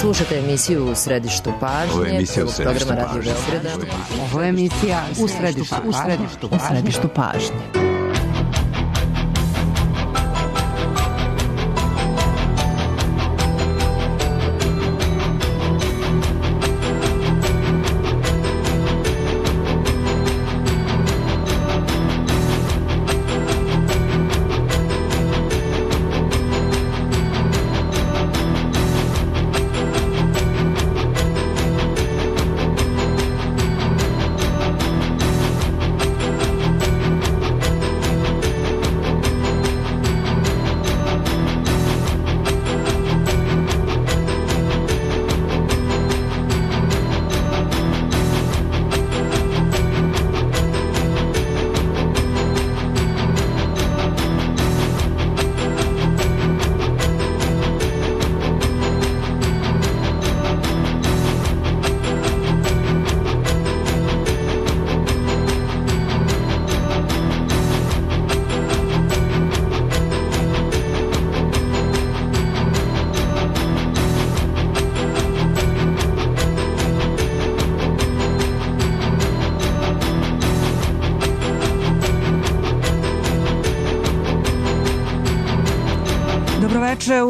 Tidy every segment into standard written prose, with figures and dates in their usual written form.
Slušate emisiju U središtu pažnje. Ovo je emisija U središtu programa Radio pažnje. Beograda. Ovo je emisija U središtu pažnje.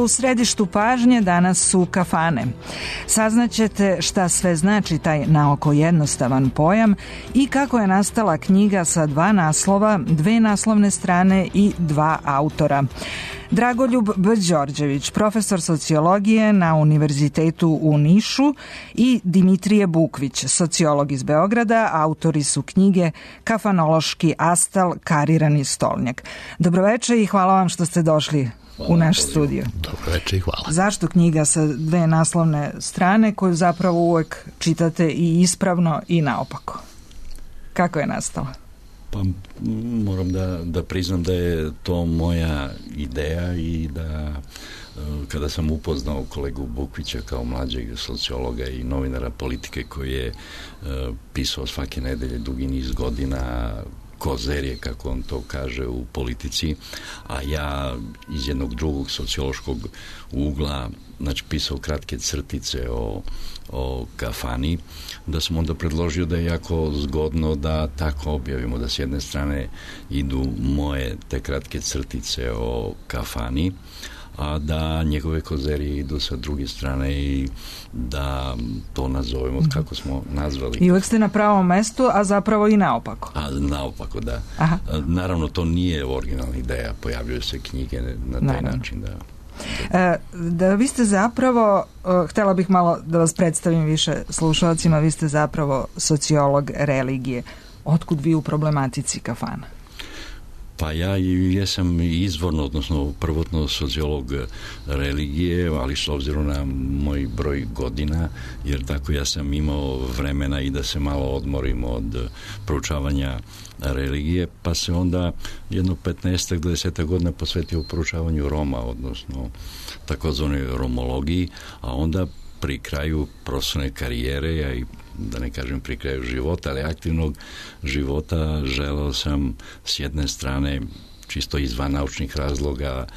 U središtu pažnje danas su kafane. Saznaćete šta sve znači taj naoko jednostavan pojam i kako je nastala knjiga sa 2 naslova, 2 naslovne strane i 2 autora. Dragoljub B. Đorđević, profesor sociologije na Univerzitetu u Nišu, i Dimitrije Bukvić, sociolog iz Beograda, autori su knjige Kafanološki astal, karirani stolnjak. Dobroveče i hvala vam što ste došli u naš studio. Dobroveče i hvala. Zašto knjiga sa 2 naslovne strane koju zapravo uvek čitate i ispravno i naopako? Kako je nastala? Pa moram da priznam da je to moja ideja i da kada sam upoznao kolegu Bukvića kao mlađeg sociologa i novinara politike koji je pisao svake nedelje dugi niz godina kozerije, kako on to kaže, u politici, a ja iz jednog drugog sociološkog ugla, znači, pisao kratke crtice o kafani, da sam onda predložio da je jako zgodno da tako objavimo, da s jedne strane idu moje te kratke crtice o kafani, a da njegove kozerije idu sa druge strane i da to nazovemo kako smo nazvali. I uvek ste na pravom mestu, a zapravo i naopako. A naopako, da. Aha. Naravno, to nije originalna ideja, pojavljuju se knjige na taj način, da. Da vi ste zapravo, htjela bih malo da vas predstavim više slušalcima, vi ste zapravo sociolog religije. Otkud vi u problematici kafana? Pa ja jesam izvorno, odnosno prvotno sociolog religije, ali s obzirom na moj broj godina, jer tako ja sam imao vremena i da se malo odmorim od proučavanja religije, pa se onda jedno 15 do 10 godina posvetio proučavanju Roma, odnosno takozvanoj romologiji, a onda pri kraju profesionalne karijere, ja i da ne kažem pri kraju života, ali aktivnog života, želeo sam s jedne strane, čisto izvan naučnih razloga,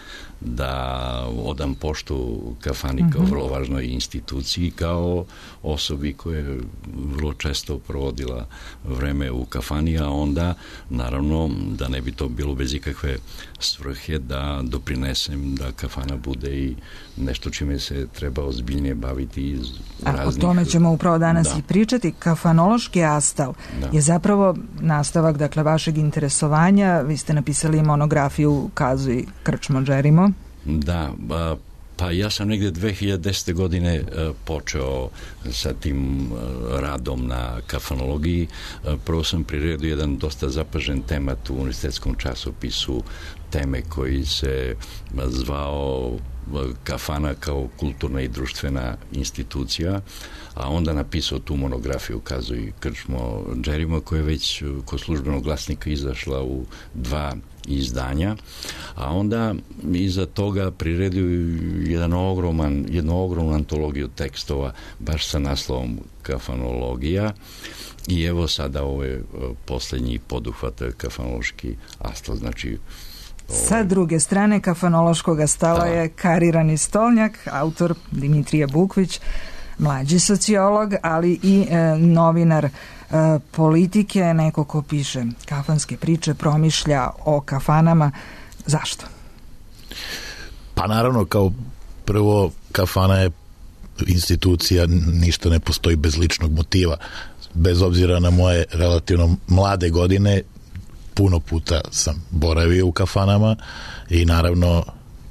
da odam poštu kafani kao vrlo važnoj instituciji, kao osobi koja je vrlo često provodila vreme u kafani, a onda naravno da ne bi to bilo bez ikakve svrhe, da doprinesem da kafana bude i nešto čime se treba ozbiljnije baviti iz raznih... O tome ćemo upravo danas i pričati. Kafanološki astal je zapravo nastavak, dakle, vašeg interesovanja. Vi ste napisali monografiju Kazuj Krčmo Džerimo. Da, pa ja sam negdje 2010. godine počeo sa tim radom na kafanologiji. Prvo sam priredio jedan dosta zapažen temat u univerzitetskom časopisu, teme koji se zvao Kafana kao kulturna i društvena institucija, a onda napisao tu monografiju Kazuj Krčmo Džerimo, koja je već kod Službenog glasnika izašla u 2 izdanja, a onda iza toga priredio jednu ogromnu antologiju tekstova baš sa naslovom Kafanologija. I evo sada ovo je posljednji poduhvat, kafanološki astal, znači Sa druge strane kafanološkog stala je karirani stolnjak, autor Dimitrije Bukvić, mlađi sociolog, ali i novinar politike, neko ko piše kafanske priče, promišlja o kafanama. Zašto? Pa naravno, kao prvo, kafana je institucija, ništa ne postoji bez ličnog motiva. Bez obzira na moje relativno mlade godine, puno puta sam boravio u kafanama i naravno,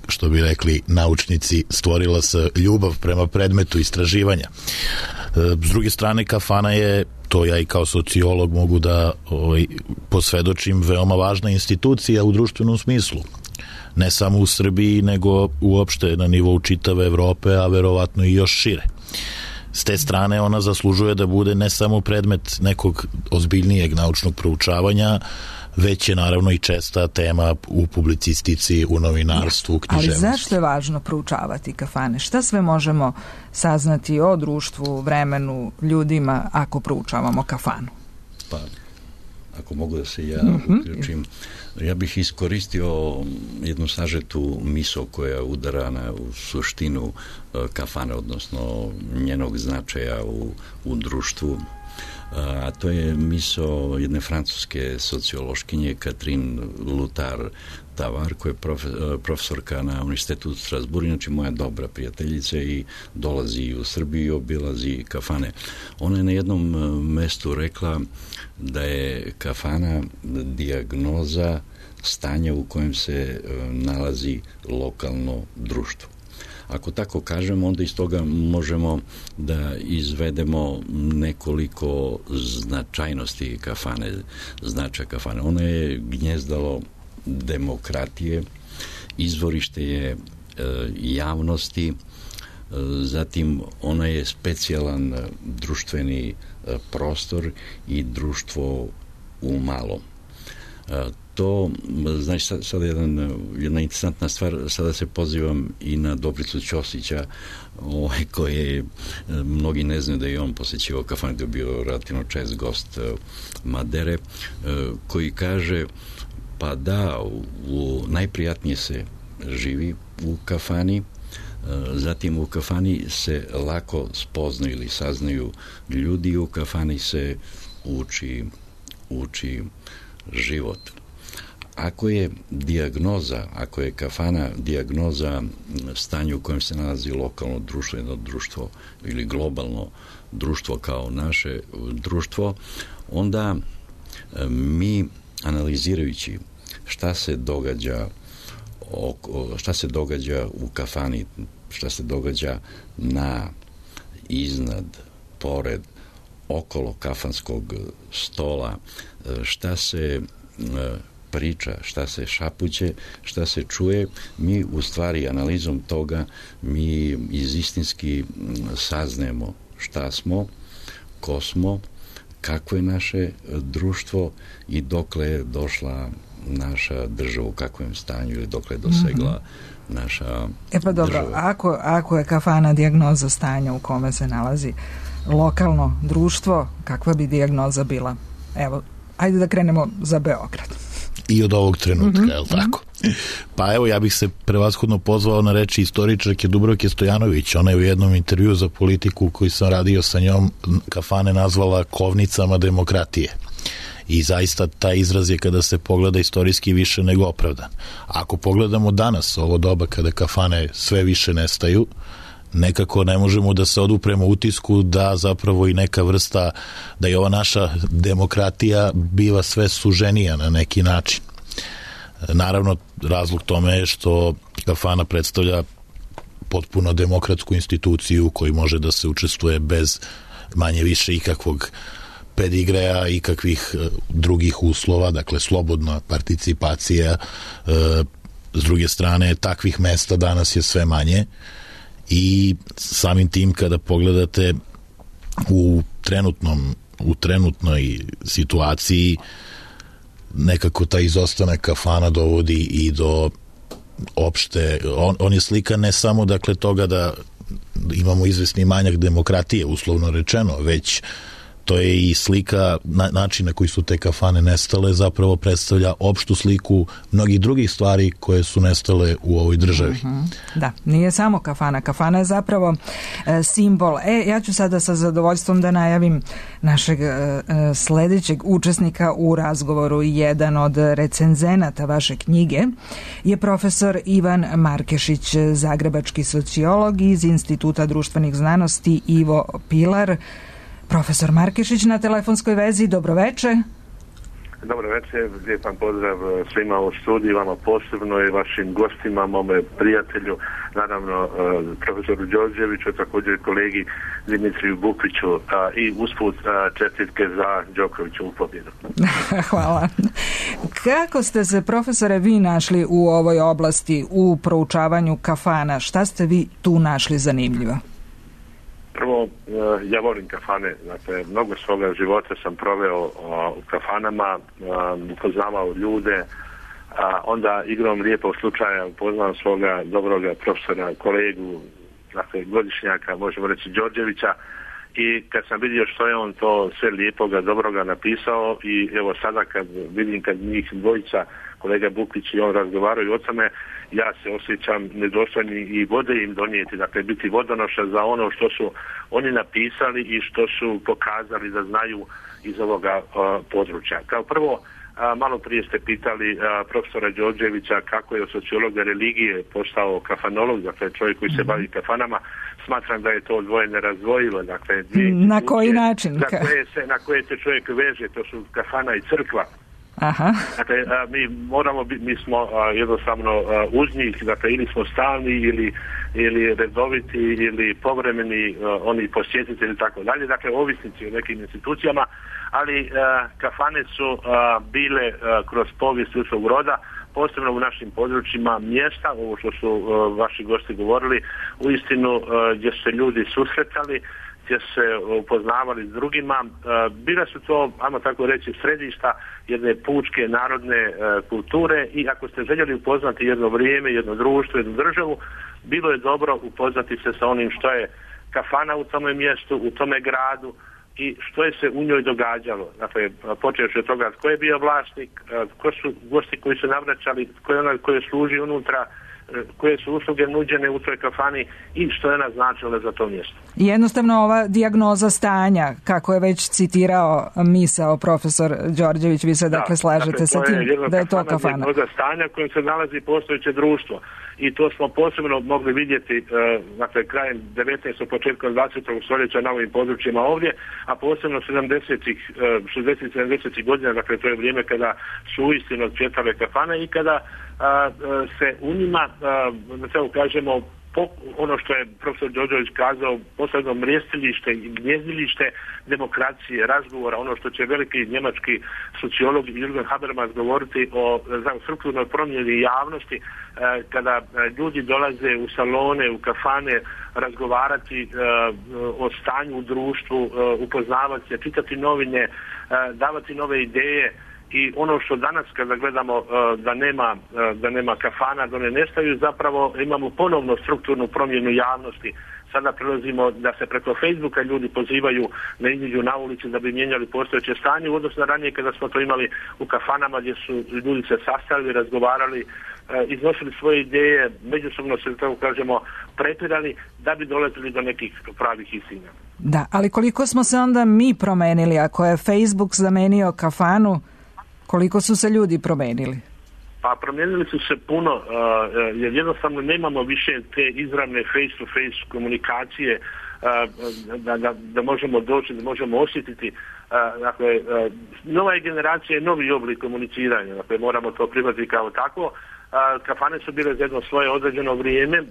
što bi rekli naučnici, stvorila se ljubav prema predmetu istraživanja. S druge strane, kafana je, to ja i kao sociolog mogu da posvedočim, veoma važna institucija u društvenom smislu. Ne samo u Srbiji, nego uopšte na nivou čitave Evrope, a verovatno i još šire. S te strane ona zaslužuje da bude ne samo predmet nekog ozbiljnijeg naučnog proučavanja, već je naravno i česta tema u publicistici, u novinarstvu, u književnosti. Ali zašto je važno proučavati kafane? Šta sve možemo saznati o društvu, vremenu, ljudima ako proučavamo kafanu? Pa, ako mogu da se ja uključim, ja bih iskoristio jednu sažetu misao koja udara u suštinu kafane, odnosno njenog značaja u društvu, a to je misao jedne francuske sociološkinje Catherine Lutar-Tavar, koja je profesorka na Univerzitetu u Strasburu, znači moja dobra prijateljica, i dolazi u Srbiju i obilazi kafane. Ona je na jednom mestu rekla da je kafana dijagnoza stanja u kojem se nalazi lokalno društvo. Ako tako kažemo, onda iz toga možemo da izvedemo nekoliko značajnosti kafane, značaja kafane. Ona je gnjezdalo demokratije, izvorište je javnosti, zatim ona je specijalan društveni prostor i društvo u malom. To, znači, sada jedna interesantna stvar, sada se pozivam i na Dobricu Ćosića, koji mnogi ne znaju da je on posjećivao kafanu, da je bio relativno čest gost Madere, koji kaže, pa da, najprijatnije se živi u kafani, zatim u kafani se lako spoznaju ili saznaju ljudi, u kafani se uči život. Ako je kafana dijagnoza stanja u kojem se nalazi lokalno društvo, jedno društvo ili globalno društvo kao naše društvo, onda mi, analizirajući šta se događa u kafani, šta se događa iznad, pored, okolo kafanskog stola, šta se priča, šta se šapuće, šta se čuje, mi u stvari analizom toga mi istinski saznajemo šta smo, ko smo, kako je naše društvo i dokle je došla naša država, u kakvom stanju ili dokle je dosegla naša pa dobro, država. Ako je kafana dijagnoza stanja u kome se nalazi lokalno društvo, kakva bi dijagnoza bila? Evo, ajde da krenemo za Beograd. I od ovog trenutka, je li tako? Pa evo, ja bih se prevashodno pozvao na reči istoričarke Dubravke Stojanović. Ona je u jednom intervjuu za Politiku koji sam radio sa njom kafane nazvala kovnicama demokratije. I zaista taj izraz je, kada se pogleda istorijski, više nego opravdan. Ako pogledamo danas, ovo doba kada kafane sve više nestaju, nekako ne možemo da se odupremo utisku da zapravo i neka vrsta, da je ova naša demokratija biva sve suženija na neki način. Naravno, razlog tome je što kafana predstavlja potpuno demokratsku instituciju u kojoj može da se učestvuje bez manje više ikakvog pedigreja i kakvih drugih uslova, dakle slobodna participacija. S druge strane, takvih mesta danas je sve manje i samim tim, kada pogledate u trenutnoj situaciji, nekako taj izostanak kafana dovodi i do opšte, on je slika ne samo toga da imamo izvesni manjak demokratije, uslovno rečeno, već to je i slika, način na koji su te kafane nestale zapravo predstavlja opštu sliku mnogih drugih stvari koje su nestale u ovoj državi. Da, nije samo kafana. Kafana je zapravo simbol. Ja ću sada sa zadovoljstvom da najavim našeg sledećeg učesnika u razgovoru. Jedan od recenzenata vaše knjige je profesor Ivan Markešić, zagrebački sociolog iz Instituta društvenih znanosti Ivo Pilar. Profesor Markešić na telefonskoj vezi, dobroveče. Dobro večer, lijepan pozdrav svima u studiju, vama posebno i vašim gostima, mome prijatelju, naravno profesoru Đorđeviću, također kolegi Dimitriju Bukviću i usput čestitke za Đokoviću u pobjedu. Hvala. Kako ste se, profesore, vi našli u ovoj oblasti, u proučavanju kafana? Šta ste vi tu našli zanimljivo? Prvo, ja volim kafane, dakle, mnogo svoga života sam proveo u kafanama, upoznavao ljude, onda igrom lijepog slučaja upoznao svoga dobroga profesora, kolegu, dakle, godišnjaka, možemo reći Đorđevića, i kad sam vidio što je on to sve lijepoga, dobroga napisao, i evo sada kad vidim kad njih dvojica, kolega Bukvić i on razgovaraju o tome, ja se osjećam nedostojni i vode im donijeti, dakle biti vodonoša za ono što su oni napisali i što su pokazali da znaju iz ovoga područja. Kao prvo, malo prije ste pitali profesora Đorđevića kako je od sociologa religije postao kafanolog, dakle čovjek koji se bavi kafanama. Smatram da je to odvoje nerazdvojivo. Dakle, na koji način? Na koje se čovjek veže, to su kafana i crkva. Aha. Dakle, mi smo jednostavno uz njih, dakle, ili smo stalni ili redoviti ili povremeni oni posjetitelji i tako dalje, dakle ovisnici o nekim institucijama, ali kafane su bile kroz povijest ljudskog roda, posebno u našim područjima, mjesta, ovo što su vaši gosti govorili, uistinu gdje se ljudi susretali, gdje se upoznavali s drugima. Bila su to, ajmo tako reći, središta jedne pučke narodne kulture, i ako ste željeli upoznati jedno vrijeme, jedno društvo, jednu državu, bilo je dobro upoznati se sa onim što je kafana u tome mjestu, u tome gradu i što je se u njoj događalo. Dakle, počevši od toga tko je bio vlasnik, ko su gosti koji su navraćali, tko je onaj koji služi unutra, koje su usluge nuđene u toj kafani i što je ona značila za to mjesto. Jednostavno ova dijagnoza stanja, kako je već citirao misao profesor Đorđević, vi se dakle slažete sa tim da je to kafana. Dijagnoza stanja kojom se nalazi postojeće društvo, i to smo posebno mogli vidjeti dakle, krajem 19. početkom 20. stoljeća na ovim područjima ovdje, a posebno 60-70 godina, dakle to je vrijeme kada su uistinu odcvjetale kafane i kada se u njima, da tako kažemo, ono što je profesor Đorđević kazao, posebno mrijestilište i gnjezdilište demokracije, razgovora, ono što će veliki njemački sociolog Jürgen Habermas govoriti o strukturnoj promjeni javnosti, kada ljudi dolaze u salone, u kafane, razgovarati o stanju u društvu, upoznavati se, čitati novine, davati nove ideje. I ono što danas kada gledamo da nema kafana, da ne nestaju, zapravo imamo ponovno strukturnu promjenu javnosti. Sada prelazimo da se preko Facebooka ljudi pozivaju da iziđu na ulici da bi mijenjali postojeće stanje u odnosu na ranije kada smo to imali u kafanama gdje su ljudi se sastali, razgovarali, iznosili svoje ideje, međusobno se, tako kažemo, prepirali da bi dolazili do nekih pravih istina. Da, ali koliko smo se onda mi promenili, ako je Facebook zamenio kafanu, koliko su se ljudi promenili? Pa promijenili su se puno, jer jednostavno nemamo više te izravne face-to-face komunikacije, da možemo doći, da možemo osjetiti. Dakle, nova je generacija, novi oblik komuniciranja, dakle moramo to prihvatiti kao tako. Kafane su bile za jedno svoje određeno vrijeme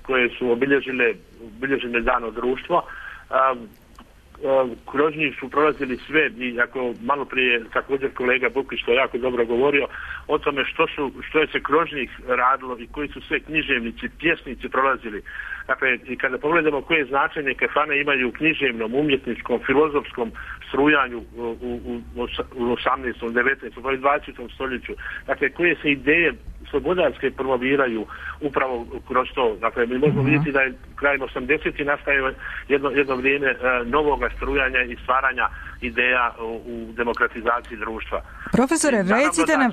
koje su obilježile dano društvo. Kroz njih su prolazili sve, i ako malo prije također kolega Bukvić to jako dobro govorio o tome što je se kroz njih radilo i koji su sve književnici, pjesnici prolazili. Dakle, i kada pogledamo koje značenje kafane imaju u književnom, umjetničkom, filozofskom strujanju u 18., 19., 20. stoljeću, dakle, koje se ideje slobodarske promoviraju upravo kroz to. Dakle, mi možemo vidjeti da je krajem 80. nastaje jedno vrijeme novoga strujanja i stvaranja ideja u demokratizaciji društva. Profesore, recite nam...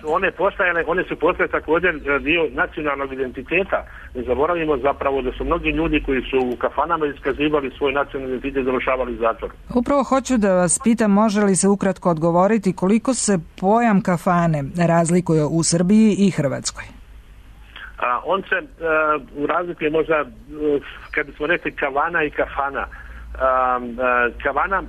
One su postale također dio nacionalnog identiteta. Ne zaboravimo zapravo da su mnogi ljudi koji su u kafanama iskazivali svoj nacionalni identitet završavali zatvor. Upravo hoću da vas pitam, može li se ukratko odgovoriti koliko se pojam kafane razlikuje u Srbiji i Hrvatskoj? On se razlikuje možda, kad bismo rekli kavana i kafana. Kavana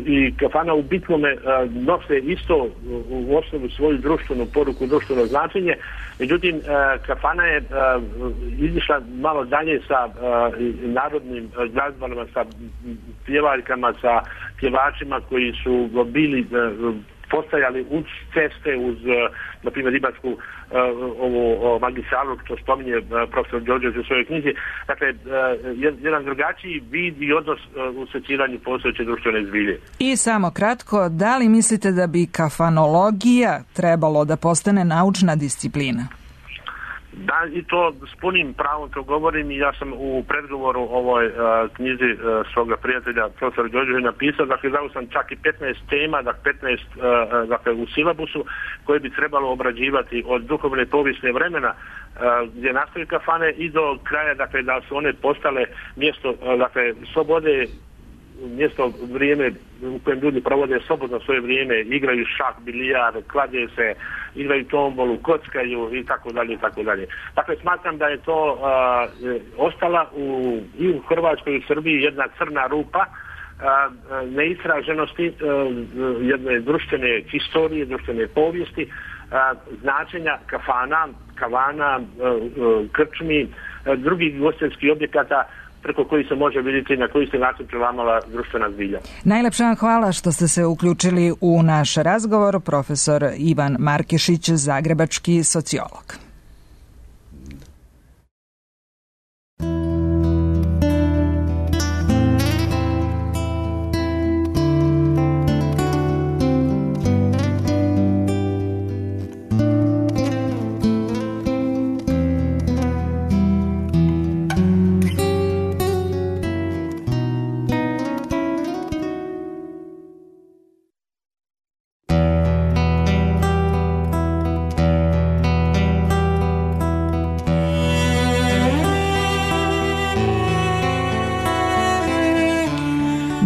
i kafana u bitnome nose isto u osnovu svoju društvenu poruku, društveno značenje. Međutim, kafana je izišla malo dalje sa narodnim glazbama, sa pjevaljkama, sa pjevačima koji su bili postajali uz ceste, uz, na primjer, ribarsku magistralu, što spominje profesor Đorđević u svojoj knjizi. Dakle, jedan drugačiji vid i odnos u seciranju postojeće društvene zbilje. I samo kratko, da li mislite da bi kafanologija trebalo da postane naučna disciplina? Da, i to s punim pravom to govorim i ja sam u predgovoru ovoj knjizi svoga prijatelja profesora Đorđevića napisao, dakle dao sam čak i 15 tema, 15 dakle u silabusu koje bi trebalo obrađivati od duhovne povijesne vremena gdje nastaju kafane i do kraja, dakle da su one postale mjesto, dakle slobode, mjesto, vrijeme u kojem ljudi provode slobodno svoje vrijeme, igraju šah, bilijar, klade se, igraju tombolu, kockaju i tako dalje i tako dalje. Dakle, smatram da je to ostala i u Hrvatskoj i u Srbiji jedna crna rupa neistraženosti jedne društvene historije, društvene povijesti, značenja kavana, krčmi, drugih ugostiteljskih objekata preko koji se može vidjeti na koji se način prelamala društvena zbilja. Najlepša vam hvala što ste se uključili u naš razgovor, profesor Ivan Markešić, zagrebački sociolog.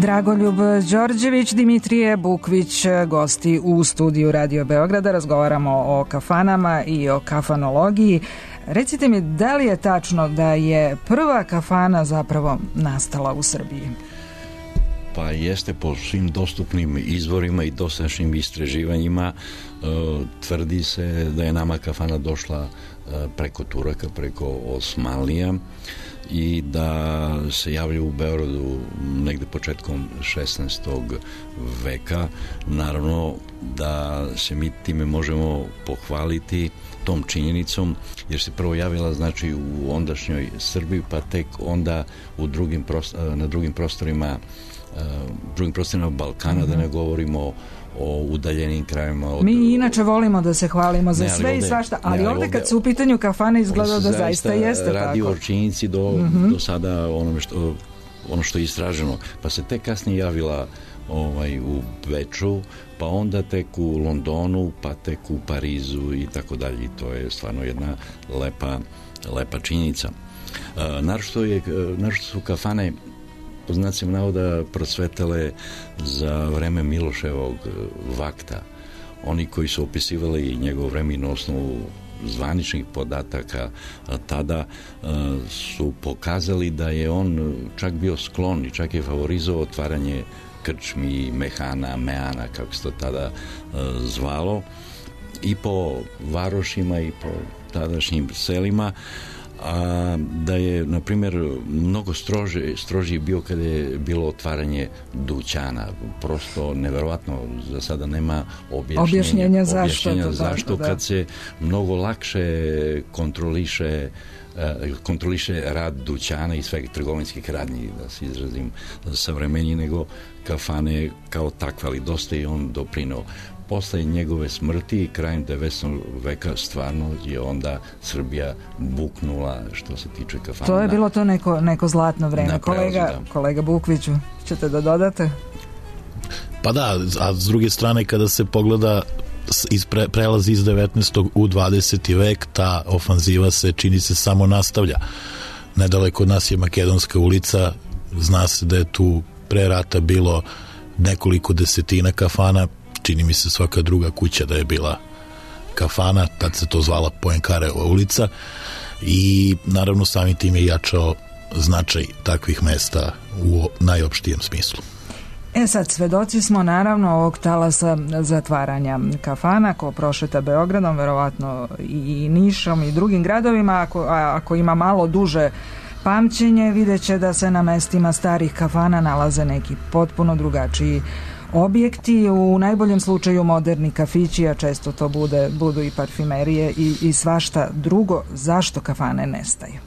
Dragoljub Đorđević, Dimitrije Bukvić, gosti u studiju Radio Beograda. Razgovaramo o kafanama i o kafanologiji. Recite mi, da li je tačno da je prva kafana zapravo nastala u Srbiji? Pa jeste, po svim dostupnim izvorima i dosadašnjim istraživanjima tvrdi se da je nama kafana došla preko Turaka, preko Osmanlija i da se javljaju u Beogradu negde početkom 16. veka. Naravno da se mi time možemo pohvaliti tom činjenicom, jer se prvo javila znači u ondašnjoj Srbiji, pa tek onda na drugim prostorima Balkana, da ne govorimo o udaljenim krajevima. Mi inače volimo da se hvalimo za sve i svašta, ali ovdje kad su u pitanju kafane izgleda da zaista jeste tako. Radi o činjenici do sada ono što je istraženo. Pa se tek kasnije javila u Beču, pa onda tek u Londonu, pa tek u Parizu i tako dalje. I to je stvarno jedna lepa činjenica. Naročito su kafane po znacima navoda procvetale za vreme Miloševog vakta. Oni koji su opisivali njegovo vreme na osnovu zvaničnih podataka tada su pokazali da je on čak bio sklon i čak je favorizovao otvaranje krčmi, mehana, meana, kako se to tada zvalo, i po varošima i po tadašnjim selima, a da je, na primjer, mnogo strožiji bio kada je bilo otvaranje dućana. Prosto neverovatno, za sada nema objašnjenja zašto kad se mnogo lakše kontroliše rad dućana i svega trgovinskih radnji, da se izrazim savremeniji nego kafane kao takva, ali dosta je on doprinao. Posle njegove smrti, krajem 19. veka, stvarno je onda Srbija buknula što se tiče kafana. To je bilo to neko zlatno vreme. Kolega Bukviću, ćete da dodate? Pa da, a s druge strane kada se pogleda prelazi iz 19. u 20. vek, ta ofanziva se čini se samo nastavlja. Nedaleko od nas je Makedonska ulica, zna se da je tu pre rata bilo nekoliko desetina kafana, čini mi se svaka druga kuća da je bila kafana, tad se to zvala Poenkareva ulica i naravno samim tim je jačao značaj takvih mesta u najopštijem smislu. Sad, svedoci smo naravno ovog talasa zatvaranja kafana. Ko prošeta Beogradom, verovatno i Nišom i drugim gradovima, ako ima malo duže pamćenje, vidjet će da se na mestima starih kafana nalaze neki potpuno drugačiji objekti, u najboljem slučaju moderni kafići, a često to budu i parfimerije i svašta drugo. Zašto kafane nestaju?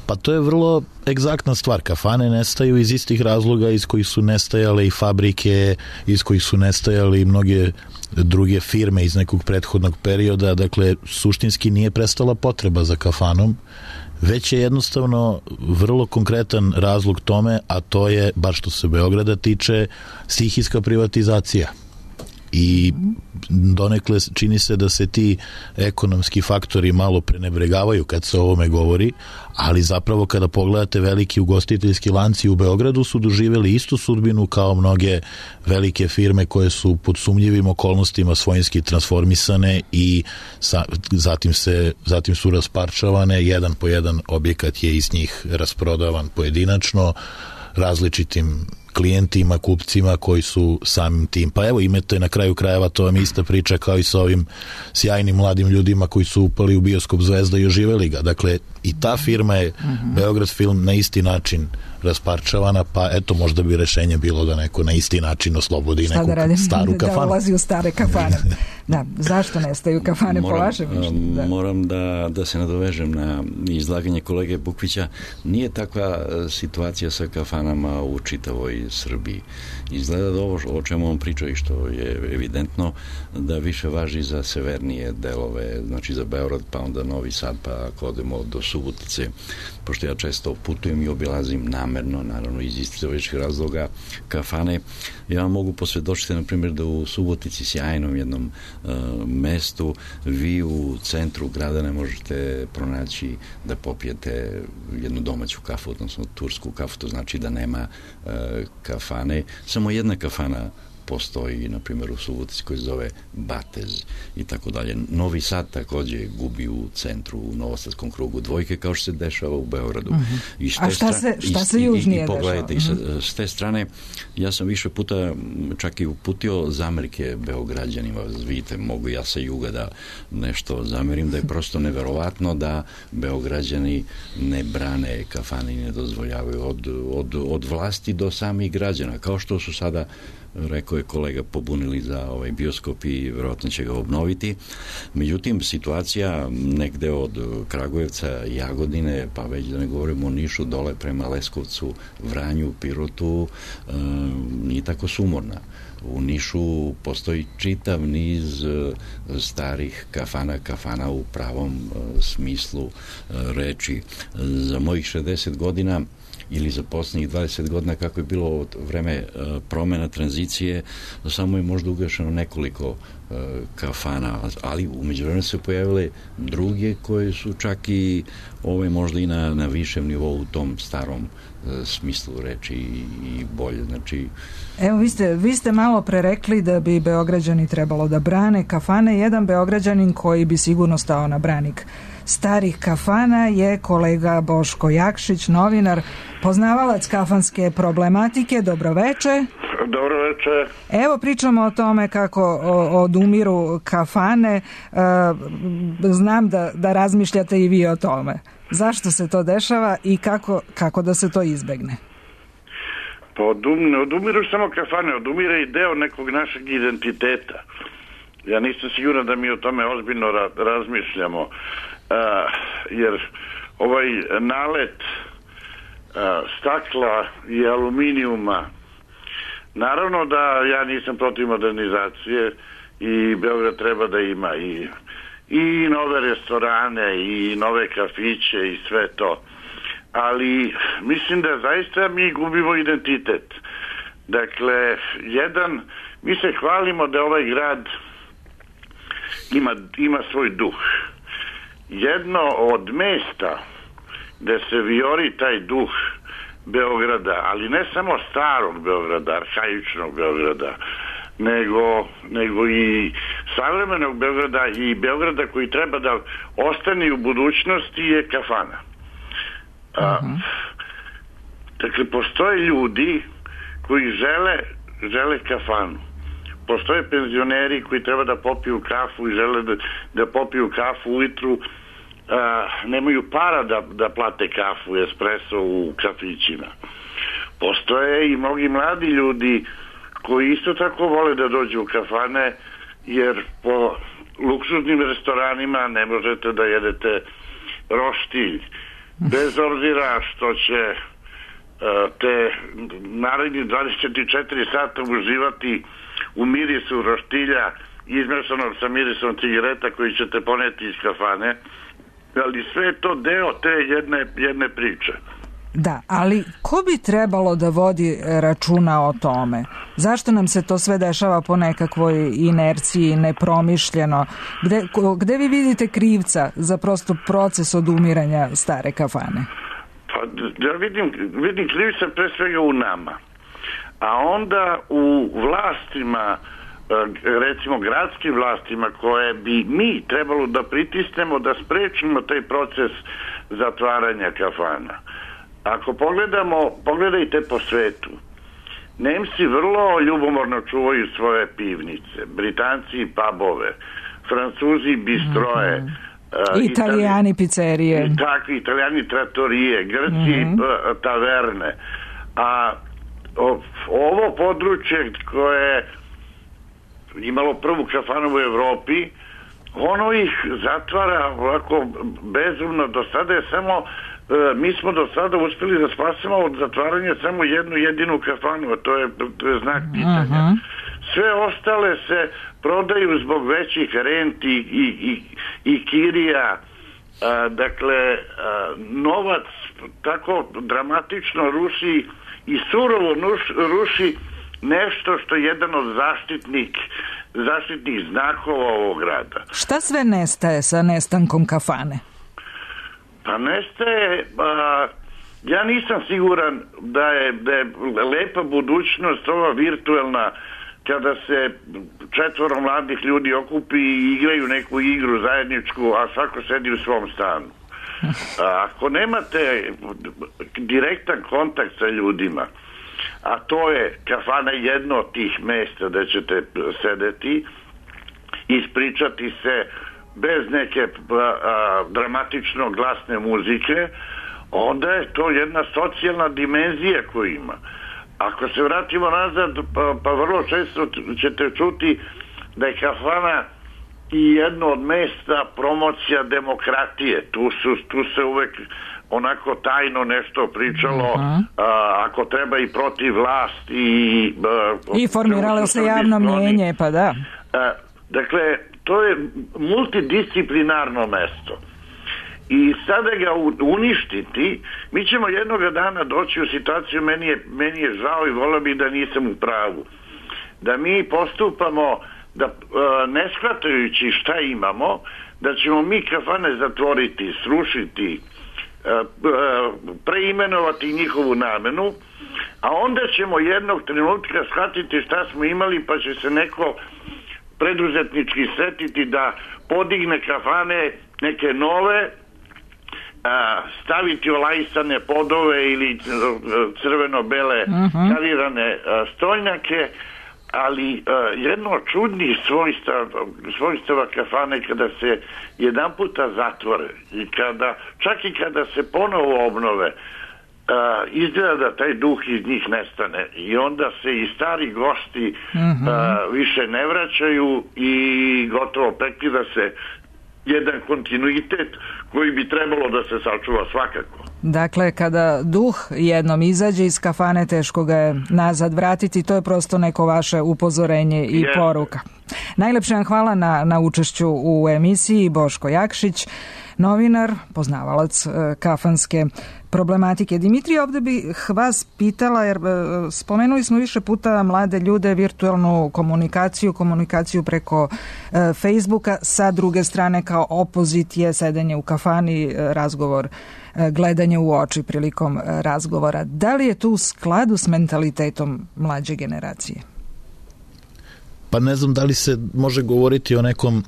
Pa to je vrlo egzaktna stvar. Kafane nestaju iz istih razloga iz kojih su nestajale i fabrike, iz kojih su nestajale i mnoge druge firme iz nekog prethodnog perioda. Dakle, suštinski nije prestala potreba za kafanom, već je jednostavno vrlo konkretan razlog tome, a to je, baš što se Beograda tiče, stihijska privatizacija. I donekle čini se da se ti ekonomski faktori malo prenebregavaju kad se o ovome govori, ali zapravo kada pogledate veliki ugostiteljski lanci u Beogradu su doživjeli istu sudbinu kao mnoge velike firme koje su pod sumnjivim okolnostima svojinski transformisane i zatim su rasparčavane, jedan po jedan objekat je iz njih rasprodavan pojedinačno različitim klijentima, kupcima koji su samim tim. Pa evo imate na kraju krajeva, to vam ista priča kao i sa ovim sjajnim mladim ljudima koji su upali u bioskop Zvezda i oživeli ga. Dakle, i ta firma je Beograd film na isti način rasparčavana, pa eto možda bi rešenje bilo da neko na isti način oslobodi neku staru kafanu. Da ulazi u stare kafane. Da, zašto nestaju kafane po vašem mišljenju? Moram da se nadovežem na izlaganje kolege Bukvića. Nije takva situacija sa kafanama u čitavoj Srbiji. Izgleda da ovo o čemu on priča i što je evidentno da više važi za severnije delove, znači za Beograd, pa onda Novi Sad, pa ako odemo do Subotice, pošto ja često putujem i obilazim namerno, naravno iz istorijskih razloga, kafane. Ja vam mogu posvjedočiti, na primjer, da u Subotici, sjajnom jednom mestu, vi u centru grada ne možete pronaći da popijete jednu domaću kafu, odnosno tursku kafu, to znači da nema kafane. Samo jedna kafana postoji, na primjer, u Subotici koji se zove Batez i tako dalje. Novi Sad također gubi u centru, u Novosadskom krugu dvojke, kao što se dešava u Beogradu. A šta se južnije dešava? Pogledajte, s te strane, ja sam više puta čak i uputio zamerke Beograđanima. Vidite, mogu ja sa juga da nešto zamerim, da je prosto neverovatno da Beograđani ne brane kafane i ne dozvoljavaju od vlasti do samih građana, kao što su sada, rekao je kolega, pobunili za ovaj bioskop i vjerojatno će ga obnoviti. Međutim, situacija negde od Kragujevca, Jagodine, pa već da ne govorimo o Nišu, dole prema Leskovcu, Vranju, Pirotu, nije tako sumorna. U Nišu postoji čitav niz starih kafana u pravom smislu reči. Za mojih 60 godina ili za posljednjih 20 godina, kako je bilo od vreme promjena tranzicije, samo je možda ugašeno nekoliko kafana, ali u međuvremenu se pojavile druge koje su čak i možda i na višem nivou u tom starom smislu reči i bolje. Znači... Evo, vi ste malo prerekli da bi Beograđani trebalo da brane kafane. Jedan Beograđanin koji bi sigurno stao na branik starih kafana je kolega Boško Jakšić, novinar, poznavalac kafanske problematike. Dobroveče. Dobroveče. Evo, pričamo o tome kako odumiru kafane. Znam da razmišljate i vi o tome. Zašto se to dešava i kako da se to izbegne? Pa odumiru samo kafane, odumire i deo nekog našeg identiteta. Ja nisam siguran da mi o tome ozbiljno razmišljamo, jer ovaj nalet stakla i aluminijuma, naravno da ja nisam protiv modernizacije i Beograd treba da ima i nove restorane i nove kafiće i sve to, ali mislim da zaista mi gubimo identitet. Dakle, mi se hvalimo da ovaj grad ima svoj duh. Jedno od mesta gde se vijori taj duh Beograda, ali ne samo starog Beograda, arhaičnog Beograda, nego i savremenog Beograda i Beograda koji treba da ostane u budućnosti je kafana. Dakle, postoje ljudi koji žele kafanu. Postoje penzioneri koji treba da popiju kafu i žele da popiju kafu ujutru, nemaju para da plate kafu, espresso u kafićima. Postoje i mnogi mladi ljudi koji isto tako vole da dođu u kafane, jer po luksuznim restoranima ne možete da jedete roštilj. Bez obzira što će te naredni 24 sata uživati u mirisu roštilja izmešanog sa mirisom cigareta koji ćete poneti iz kafane, ali sve je to deo te jedne priče. Da, ali ko bi trebalo da vodi računa o tome? Zašto nam se to sve dešava po nekakvoj inerciji, nepromišljeno? Gde vi vidite krivca za prosto proces odumiranja stare kafane? Pa ja vidim krivica pre svega u nama. A onda u vlastima, recimo gradskim vlastima, koje bi mi trebalo da pritisnemo da sprečimo taj proces zatvaranja kafana. Ako pogledajte po svetu, Nemci vrlo ljubomorno čuvaju svoje pivnice, Britanci pubove, Francuzi bistroje, Italijani pizzerije, takvi Italijani trattorije, Grci taverne. A ovo područje koje je imalo prvu kafanu u Evropi, ono ih zatvara ovako bezumno. Do sada je samo mi smo do sada uspeli da spasimo od zatvaranja samo jednu jedinu kafanu, a to je znak pitanja. Sve ostale se prodaju zbog većih renti i kirija. Dakle, novac tako dramatično ruši i surovo ruši nešto što je jedan od zaštitnih znakova ovog grada. Šta sve nestaje sa nestankom kafane? Pa nestaje, ja nisam siguran da je lepa budućnost ova virtuelna, kada se 4 mladih ljudi okupi i igraju neku igru zajedničku, a svako sedi u svom stanu. Ako nemate direktan kontakt sa ljudima, a to je kafana jedno od tih mesta da ćete sedeti, ispričati se bez neke dramatično glasne muzike, onda je to jedna socijalna dimenzija koju ima. Ako se vratimo nazad, pa vrlo često ćete čuti da je kafana i jedno od mesta promocija demokratije. Tu se uvek onako tajno nešto pričalo, ako treba i protiv vlasti. I formiralo se javno mnjenje, pa da. Dakle, to je multidisciplinarno mesto. I sada ga uništiti, mi ćemo jednoga dana doći u situaciju, meni je žao i volio bih da nisam u pravu, da mi postupamo ne shvatajući šta imamo, da ćemo mi kafane zatvoriti, srušiti, preimenovati njihovu namenu, a onda ćemo jednog trenutka shvatiti šta smo imali, pa će se neko preduzetnički setiti da podigne kafane neke nove, staviti olajsane podove ili crveno-bele karirane stoljnjake, ali jedno od čudnih svojstava kafane kada se jedan puta zatvore i čak i kada se ponovo obnove, izgleda da taj duh iz njih nestane i onda se i stari gosti više ne vraćaju i gotovo prekida se jedan kontinuitet koji bi trebalo da se sačuva svakako. Dakle, kada duh jednom izađe iz kafane, teško ga je nazad vratiti, to je prosto neko vaše upozorenje i poruka. Najlepše vam hvala na učešću u emisiji, Boško Jakšić, novinar, poznavalac kafanske problematike. Dimitrije, ovde bih vas pitala, jer spomenuli smo više puta mlade ljude, virtualnu komunikaciju preko Facebooka, sa druge strane kao opozit je sedenje u kafani, razgovor, gledanje u oči prilikom razgovora. Da li je to u skladu s mentalitetom mlađe generacije? Pa ne znam da li se može govoriti o nekom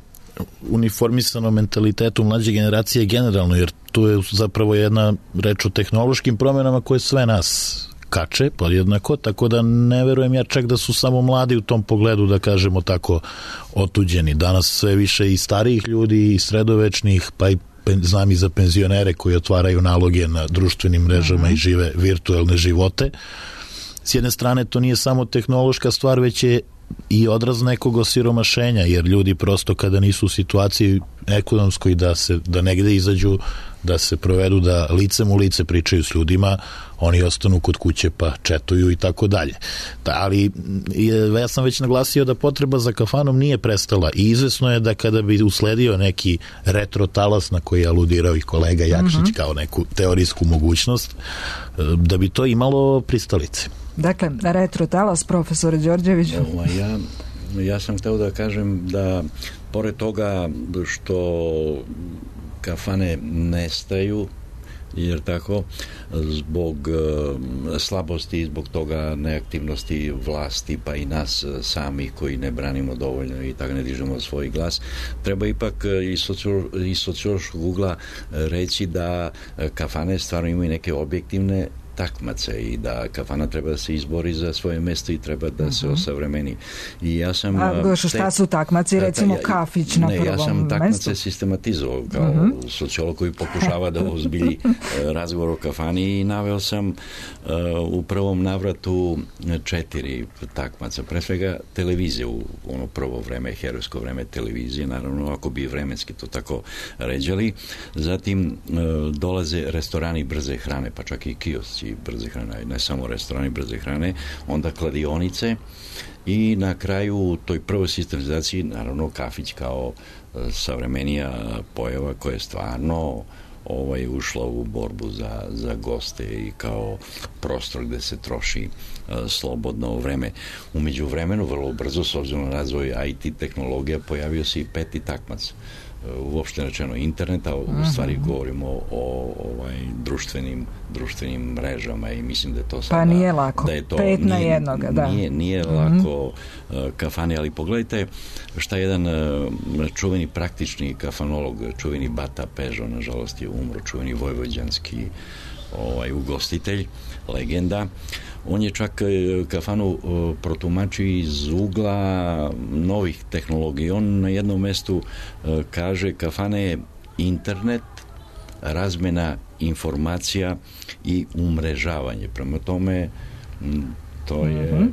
uniformisanom mentalitetu mlađe generacije generalno, jer tu je zapravo jedna reč o tehnološkim promenama koje sve nas kače podjednako, tako da ne verujem ja čak da su samo mladi u tom pogledu, da kažemo tako, otuđeni. Danas sve više i starijih ljudi, i sredovečnih, pa i znam i za penzionere koji otvaraju naloge na društvenim mrežama i žive virtualne živote. S jedne strane, to nije samo tehnološka stvar, već je i odraz nekog osiromašenja, jer ljudi prosto kada nisu u situaciji ekonomskoj da negde izađu, da se provedu, da licem u lice pričaju s ljudima, oni ostanu kod kuće pa četuju i tako dalje. Ali ja sam već naglasio da potreba za kafanom nije prestala i izvesno je da kada bi usledio neki retro talas na koji je aludirao i kolega Jakšić kao neku teorijsku mogućnost, da bi to imalo pristalice. Dakle, retro talas, profesore Đorđeviću. Ja sam hteo da kažem da pored toga što kafane nestaju, jer tako, zbog slabosti i zbog toga neaktivnosti vlasti, pa i nas sami koji ne branimo dovoljno i tako ne dižemo svoj glas, treba ipak iz sociološkog ugla reći da kafane stvarno imaju neke objektivne takmace i da kafana treba da se izbori za svoje mesto i treba da se osavremeni. I ja sam... šta su takmaci? Recimo kafić na prvom mestu? Ja sam takmace sistematizovao kao sociolog koji pokušava da ozbilji razgovor o kafani i naveo sam u prvom navratu 4 takmaca. Pre svega televizije u ono prvo vreme, herojsko vreme televizije, naravno ako bi vremenski to tako ređali. Zatim dolaze restorani brze hrane, pa čak i kiosci brze hrane, ne samo restorani brze hrane, onda kladionice i na kraju u toj prvoj sistematizaciji naravno kafić kao savremenija pojava koja je stvarno ušla u borbu za goste i kao prostor gde se troši slobodno vreme. U međuvremenu vrlo brzo, s obzirom na razvoj IT tehnologija, pojavio se i 5. takmac. Uopšte rečeno interneta, u stvari govorimo o društvenim mrežama i mislim da je to sada... Pa nije lako, da je to, 5 na jednoga, da. Nije lako kafane, ali pogledajte šta jedan čuveni praktični kafanolog, čuveni Bata Pežo, nažalost je umro, čuveni vojvođanski ugostitelj, legenda. On je čak kafanu protumačio iz ugla novih tehnologija. On na jednom mestu kaže kafana je internet, razmena informacija i umrežavanje. Prema tome to je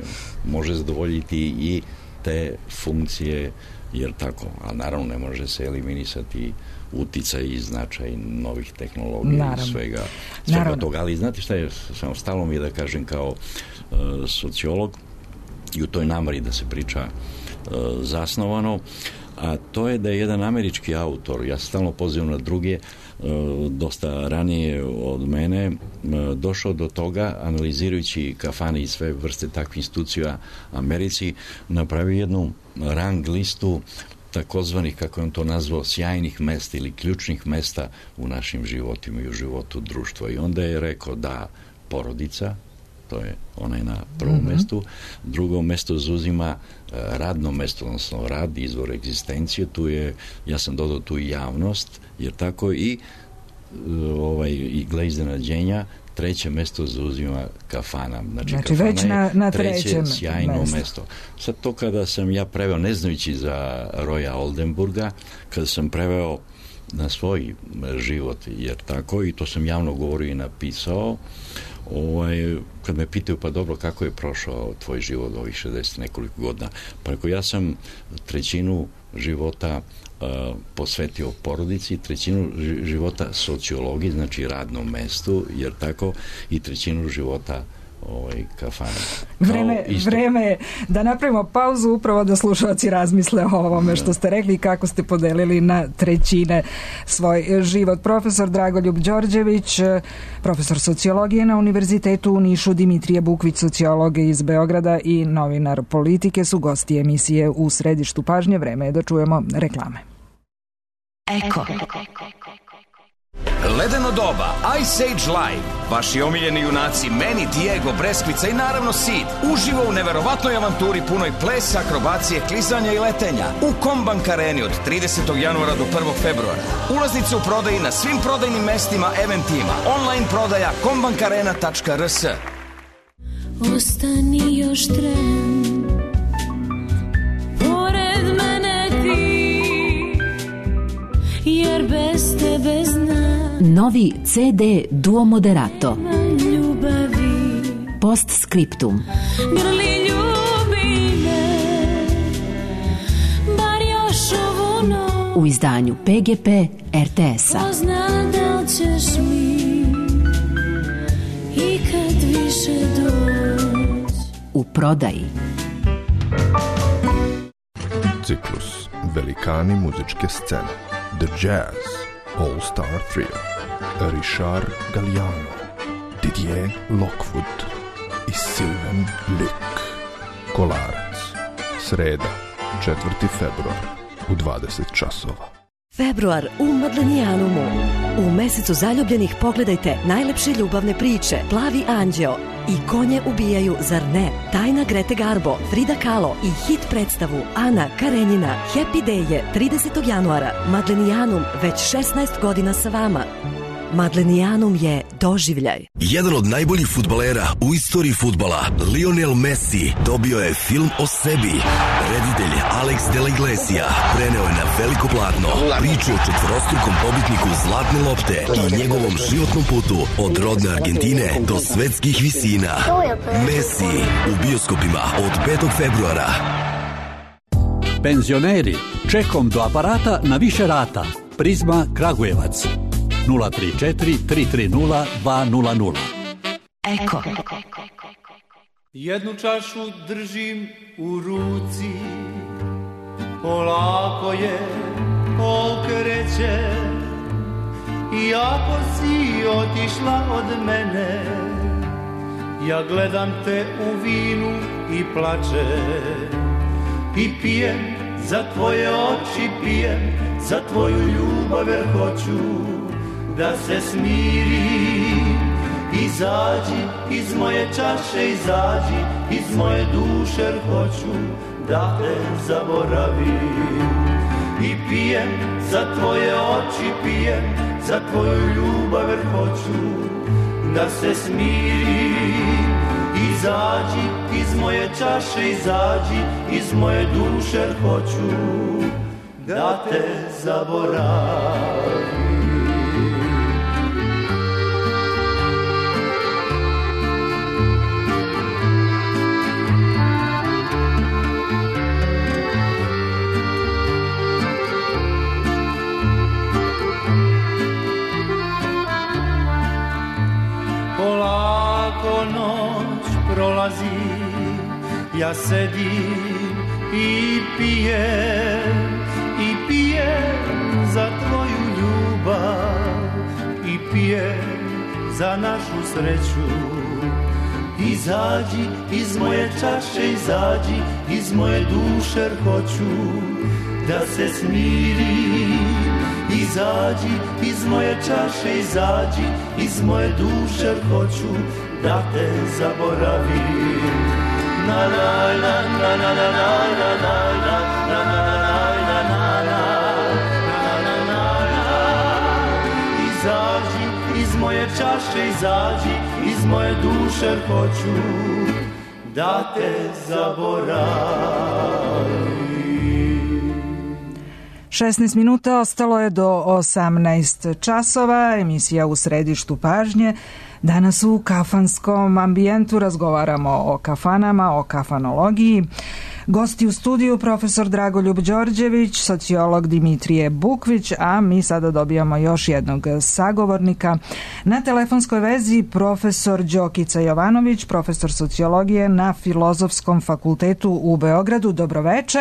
može zadovoljiti i te funkcije, jer tako, a naravno ne može se eliminisati uticaj i značaj novih tehnologija i svega toga. Ali znate šta je, samo stalo mi je da kažem kao sociolog i u toj nameri da se priča zasnovano, a to je da je jedan američki autor, ja se stalno pozivam na druge, dosta ranije od mene, došao do toga, analizirajući kafane i sve vrste takvih institucija Americi, napravio jednu rang listu takozvanih, kako je on to nazvao, sjajnih mesta ili ključnih mesta u našim životima i u životu društva. I onda je rekao da porodica, to je onaj na prvom mestu, drugo mesto zauzima radno mesto, odnosno rad, izvor egzistencije, tu je, ja sam dodao tu i javnost, jer tako i gle iznenađenja, 3. mesto zauzima kafana. Znači kafana već na 3. sjajno mesto. Sad to kada sam ja preveo, ne znajući za Roya Oldenburga, kada sam preveo na svoj život, jer tako, i to sam javno govorio i napisao, kad me pitaju, pa dobro, kako je prošao tvoj život ovih 60 nekoliko godina? Pa rekao, ja sam 1/3 života posvetio porodici, 1/3 života sociologiji, znači radnom mestu, jer tako, i 1/3 života kafane. Vreme je da napravimo pauzu, upravo da slušalci razmisle o ovome što ste rekli i kako ste podelili na trećine svoj život. Profesor Dragoljub Đorđević, profesor sociologije na Univerzitetu u Nišu, Dimitrije Bukvić, sociolog iz Beograda i novinar politike su gosti emisije U središtu pažnje. Vreme je da čujemo reklame. Eko. Ledeno doba, Ice Age Live, vaši omiljeni junaci Manny, Diego, Breskvica i naravno Sid uživo u neverovatnoj avanturi punoj plesa, akrobacije, klizanja i letenja u Kombank Areni od 30. januara do 1. februara. Ulaznice u prodaji na svim prodajnim mestima, eventima, online prodaja kombankarena.rs. Ostani još tren, pored mene ti, jer bez tebe znam. Novi CD Duo Moderato. Ljubavi. Postscriptum. Grli ljubi me, bar još ovu noć. U izdanju PGP RTS-a. Pozna da li ćeš mi ikad više doći. U prodaji. Ciklus Velikani muzičke scene. The Jazz All Star Trio. Richard Galliano, Didier Lockwood i Sylvain Luc. Kolarac. Sreda, 4. februar u 20 časova. Februar u Madlenijanumu. U mesecu zaljubljenih pogledajte najlepše ljubavne priče Plavi anđeo i Konje ubijaju, zar ne? Tajna Grete Garbo, Frida Kahlo i hit predstavu Ana Karenjina. Happy Day je 30. januara. Madlenijanum već 16 godina sa vama. Madlenijanum je doživljaj. Jedan od najboljih fudbalera u istoriji fudbala, Lionel Messi, dobio je film o sebi. Reditelj Alex de la Iglesia preneo je na veliko platno priču o četvorostrukom pobitniku Zlatne lopte i njegovom životnom putu od rodne Argentine do svetskih visina. Messi u bioskopima od 5. februara. Penzioneri, čekom do aparata na više rata. Prizma Kragujevac. 034 330 200. Eko. Jednu čašu držim u ruci, polako je okreće, i ako si otišla od mene, ja gledam te u vinu i plačem, i pijem za tvoje oči, pijem za tvoju ljubav, jer hoću da se smirim. Izađi iz moje čaše, izađi iz moje duše, jer hoću da te zaboravim. I pijem za tvoje oči, pijem za tvoju ljubav, jer hoću da se smirim. Izađi iz moje čaše, izađi iz moje duše, jer hoću da te zaboravim. Polako noć prolazi, ja sedim i pijem za tvoju ljubav, i pijem za našu sreću. Izađi iz moje čaše, izađi iz moje duše, jer hoću da se smirim. Izađi iz moje čaše, izađi iz moje duše, jer hoću da te zaboravim. Na na na na na na na na na na na. Izađi iz moje čaše, izađi iz moje duše, jer hoću da te zaboravim. 16 minuta ostalo je do 18 časova, emisija U središtu pažnje. Danas u kafanskom ambijentu razgovaramo o kafanama, o kafanologiji. Gosti u studiju profesor Dragoljub Đorđević, sociolog Dimitrije Bukvić, a mi sada dobijamo još jednog sagovornika. Na telefonskoj vezi profesor Đokica Jovanović, profesor sociologije na Filozofskom fakultetu u Beogradu. Dobroveče.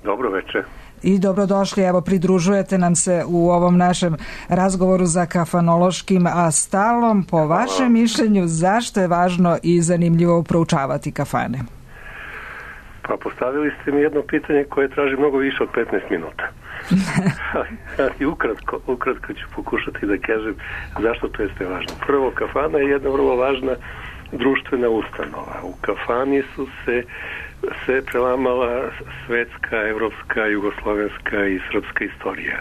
Dobroveče. I dobrodošli, evo pridružujete nam se u ovom našem razgovoru za kafanološkim stalom. Po vašem mišljenju, zašto je važno i zanimljivo proučavati kafane? Pa postavili ste mi jedno pitanje koje traži mnogo više od 15 minuta. Ali ukratko ću pokušati da kažem zašto to jeste važno. Prvo, kafana je jedna vrlo važna društvena ustanova. U kafani su se prelamala svetska, evropska, jugoslovenska i srpska istorija.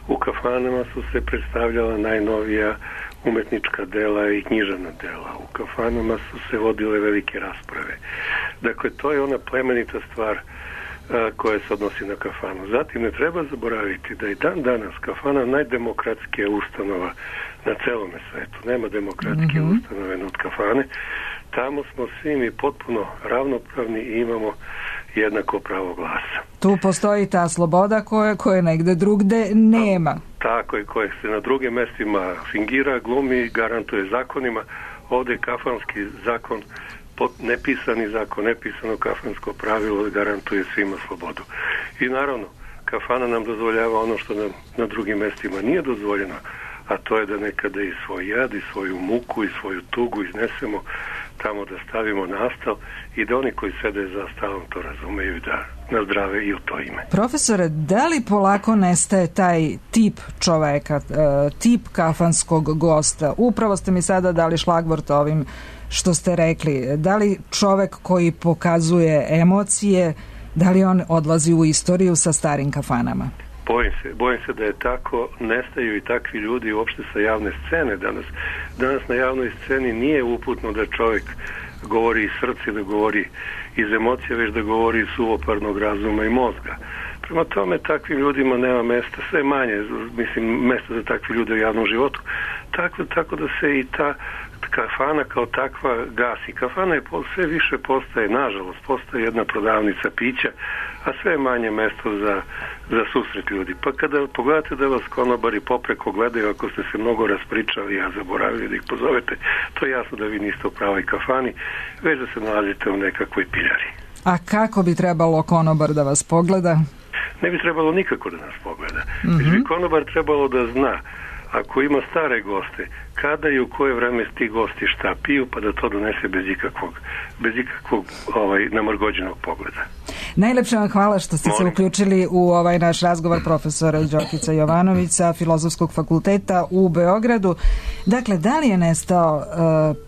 U kafanama su se predstavljala najnovija umetnička dela i književna dela. U kafanama su se vodile velike rasprave. Dakle, to je ona plemenita stvar koja se odnosi na kafanu. Zatim ne treba zaboraviti da je dan danas kafana najdemokratskija ustanova na celome svetu. Nema demokratske ustanove od kafane. Tamo smo svi mi potpuno ravnopravni i imamo jednako pravo glasa. Tu postoji ta sloboda koje negde drugde nema. Tako je, koje se na drugim mestima fingira, glumi, garantuje zakonima. Ovdje je kafanski zakon, nepisani zakon, nepisano kafansko pravilo garantuje svima slobodu. I naravno, kafana nam dozvoljava ono što nam na drugim mestima nije dozvoljeno, a to je da nekada i svoj jad, i svoju muku, i svoju tugu iznesemo tamo da stavimo na stal i da oni koji sede za stalom to razumeju da nazdrave i u to ime. Profesore, da li polako nestaje taj tip čoveka, tip kafanskog gosta? Upravo ste mi sada dali šlagvort ovim što ste rekli. Da li čovek koji pokazuje emocije, da li on odlazi u istoriju sa starim kafanama? Bojim se da je tako, nestaju i takvi ljudi uopšte sa javne scene danas. Danas na javnoj sceni nije uputno da čovjek govori iz srca, da govori iz emocija, već da govori iz suvoparnog razuma i mozga. Prema tome, takvim ljudima nema mesta, sve manje, mesta za takvi ljude u javnom životu. Tako da se i ta kafana kao takva gasi. Kafana je sve više postaje, nažalost, postaje jedna prodavnica pića, a sve manje mesto za susret ljudi. Pa kada pogledate da vas konobari popreko gledaju, ako ste se mnogo raspričali, a zaboravili da ih pozovete, to je jasno da vi niste u pravoj kafani, već da se nalazite u nekakvoj piljari. A kako bi trebalo konobar da vas pogleda? Ne bi trebalo nikako da nas pogleda. Već bi konobar trebalo da zna, ako ima stare goste, kada i u koje vreme ti gosti šta piju, pa da to donese bez ikakvog namrgođenog pogleda. Najlepše vam hvala što ste se uključili u ovaj naš razgovor, profesora Đokica Jovanović sa Filozofskog fakulteta u Beogradu. Dakle, da li je nestao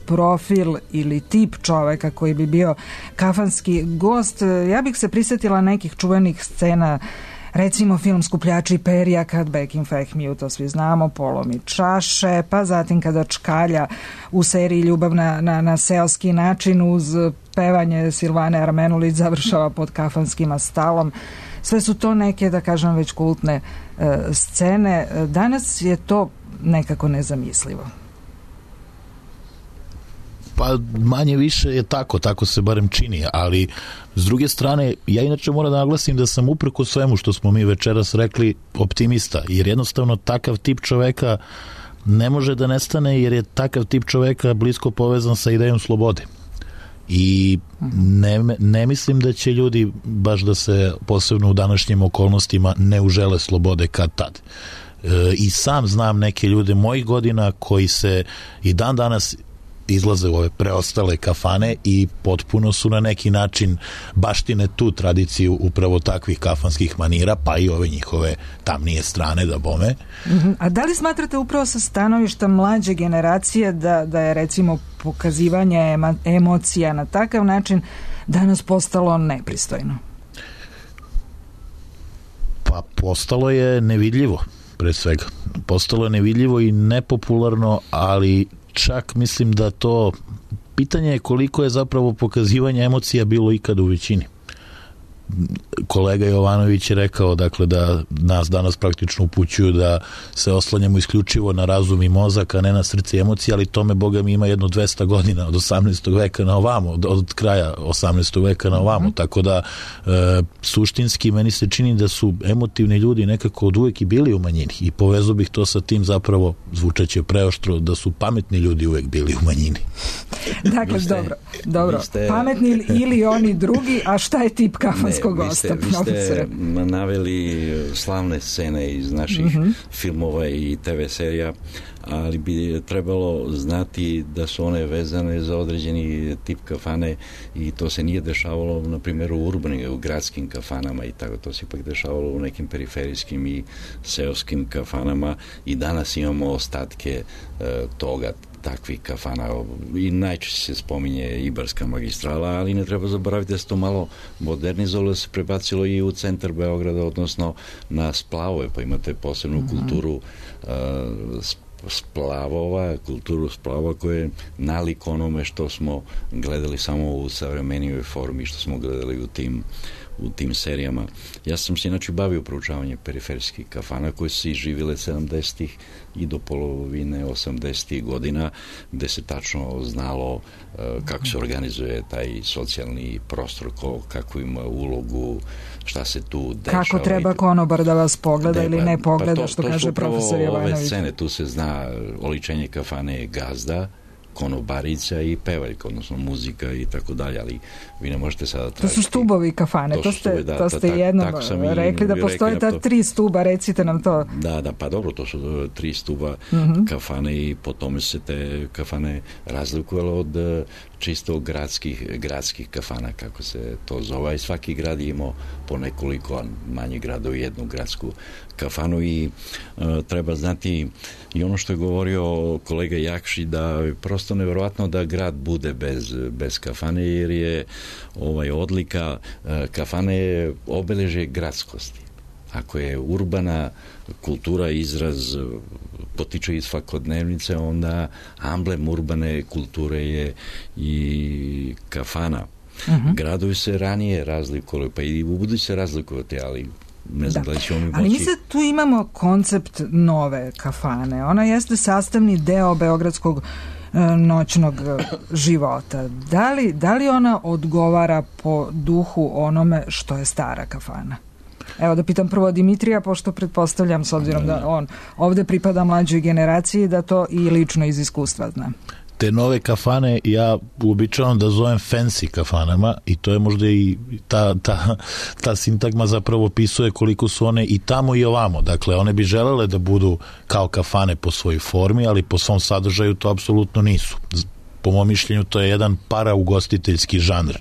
profil ili tip čoveka koji bi bio kafanski gost? Ja bih se prisjetila nekih čuvenih scena, recimo film Skupljači perja, kad Bekim Fehmiju, to svi znamo, polomi čaše, pa zatim kada čkalja u seriji Ljubav na seoski način uz pevanje Silvane Armenulić završava pod kafanskim stalom. Sve su to neke, da kažem, već kultne scene. Danas je to nekako nezamislivo. Pa manje više je tako se barem čini, ali s druge strane, ja inače moram da naglasim da sam upreko svemu što smo mi večeras rekli optimista, jer jednostavno takav tip čoveka ne može da nestane, jer je takav tip čoveka blisko povezan sa idejom slobode. I ne mislim da će ljudi baš da se posebno u današnjim okolnostima ne užele slobode kad tad. I sam znam neke ljude mojih godina koji se i dan danas izlaze u ove preostale kafane i potpuno su na neki način baštine tu tradiciju upravo takvih kafanskih manira, pa i ove njihove tamnije strane da bome. A da li smatrate upravo sa stanovišta mlađe generacije da je recimo pokazivanje emocija na takav način danas postalo nepristojno? Pa postalo je nevidljivo, pre svega. Postalo je nevidljivo i nepopularno, ali čak mislim da to pitanje je koliko je zapravo pokazivanje emocija bilo ikad u većini. kolega Jovanović je rekao, dakle, da nas danas praktično upućuju da se oslanjamo isključivo na razum i mozak, a ne na srce i emocije, ali tome, Boga mi, ima jedno 200 godina od 18. veka na ovamo, od kraja 18. veka na ovamo, tako da suštinski meni se čini da su emotivni ljudi nekako od uvek i bili u manjini i povezu bih to sa tim, zapravo zvučeće preoštro, da su pametni ljudi uvek bili u manjini. Dakle, dobro. Pametni ili oni drugi, a šta je tip kafanskog gosta? Vi ste naveli slavne scene iz naših filmova i TV serija, ali bi trebalo znati da su one vezane za određeni tip kafane i to se nije dešavalo, na primjer, u urbanim, u gradskim kafanama i tako, to se ipak dešavalo u nekim periferijskim i seoskim kafanama i danas imamo ostatke toga, takvih kafana i najčešće se spominje Ibarska magistrala, ali ne treba zaboraviti da se to malo modernizovalo, se prebacilo i u centar Beograda, odnosno na splavove, pa imate posebnu kulturu splavova, kulturu splava koja je nalik onome što smo gledali samo u savremenijoj formi, što smo gledali u tim serijama. Ja sam se inače bavio proučavanjem periferijskih kafana koje su se izživile 70-ih i do polovine 80-ih godina, gde se tačno znalo kako se organizuje taj socijalni prostor, kako ima ulogu, šta se tu dešava. Kako treba konobar da vas pogleda ili ne pogleda, što kaže profesor Jovanović. Ove scene, tu se zna oličenje kafane je gazda, konobarica i pevaljka, odnosno muzika i tako dalje, ali vi ne možete sada tražiti. To su stubovi kafane, to ste jednom rekli da postoje ta 3 stuba, recite nam to. Da, pa dobro, to su 3 stuba kafane i po tome se te kafane razlikovalo od čisto gradskih kafana, kako se to zove, i svaki grad je imao po nekoliko manjih gradova jednu gradsku kafanu i treba znati i ono što je govorio kolega Jakši, da je prosto nevjerovatno da grad bude bez kafane, jer je odlika kafane je obeležje gradskosti. Ako je urbana kultura izraz potiče iz svakodnevnice, onda amblem urbane kulture je i kafana. Gradovi se ranije razlikovali, pa i u budući se razlikovati, ali ne znam da li ćemo mi moći. Ali mi se tu imamo koncept nove kafane. Ona jeste sastavni deo beogradskog noćnog života. Da li ona odgovara po duhu onome što je stara kafana? Evo da pitam prvo Dimitrija, pošto pretpostavljam, s obzirom da on ovde pripada mlađoj generaciji, da to i lično iz iskustva zna. Te nove kafane ja uobičavam da zovem fancy kafanama i to je možda i ta sintagma zapravo opisuje koliko su one i tamo i ovamo. Dakle, one bi želele da budu kao kafane po svojoj formi, ali po svom sadržaju to apsolutno nisu. Po mom mišljenju to je jedan paraugostiteljski žanr.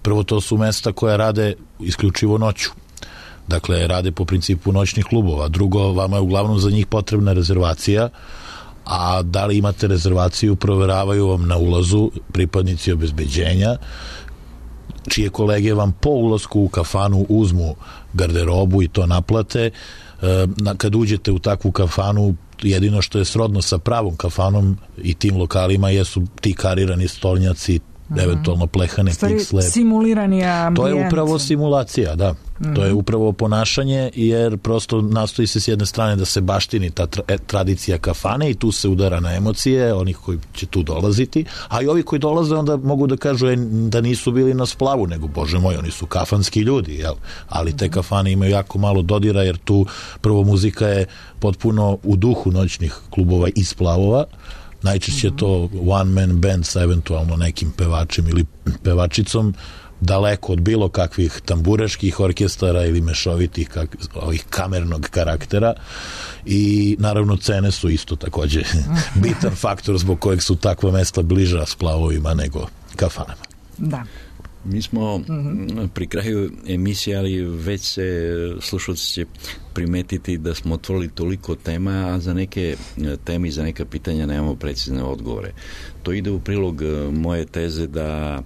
Prvo, to su mesta koja rade isključivo noću. Dakle, rade po principu noćnih klubova. Drugo, vama je uglavnom za njih potrebna rezervacija, a da li imate rezervaciju proveravaju vam na ulazu pripadnici obezbeđenja, čije kolege vam po ulasku u kafanu uzmu garderobu i to naplate. Kad uđete u takvu kafanu, jedino što je srodno sa pravom kafanom i tim lokalima jesu ti karirani stolnjaci, eventualno plehane piksle. Simulirani ambijent. To je upravo simulacija, da. To je upravo ponašanje, jer prosto nastoji se s jedne strane da se baštini ta tradicija kafane i tu se udara na emocije onih koji će tu dolaziti, a i ovi koji dolaze onda mogu da kažu da nisu bili na splavu, nego bože moj, oni su kafanski ljudi, jel? Ali te kafane imaju jako malo dodira, jer tu prvo muzika je potpuno u duhu noćnih klubova i splavova. Najčešće je to one man band sa eventualno nekim pevačem ili pevačicom, daleko od bilo kakvih tamburaških orkestara ili mešovitih ovih kamernog karaktera, i naravno cene su isto takođe bitan faktor zbog kojeg su takva mesta bliža splavovima nego kafanama. Da. Mi smo pri kraju emisije, ali već se slušalci će primetiti da smo otvorili toliko tema, a za neke teme i za neka pitanja nemamo precizne odgovore. To ide u prilog moje teze da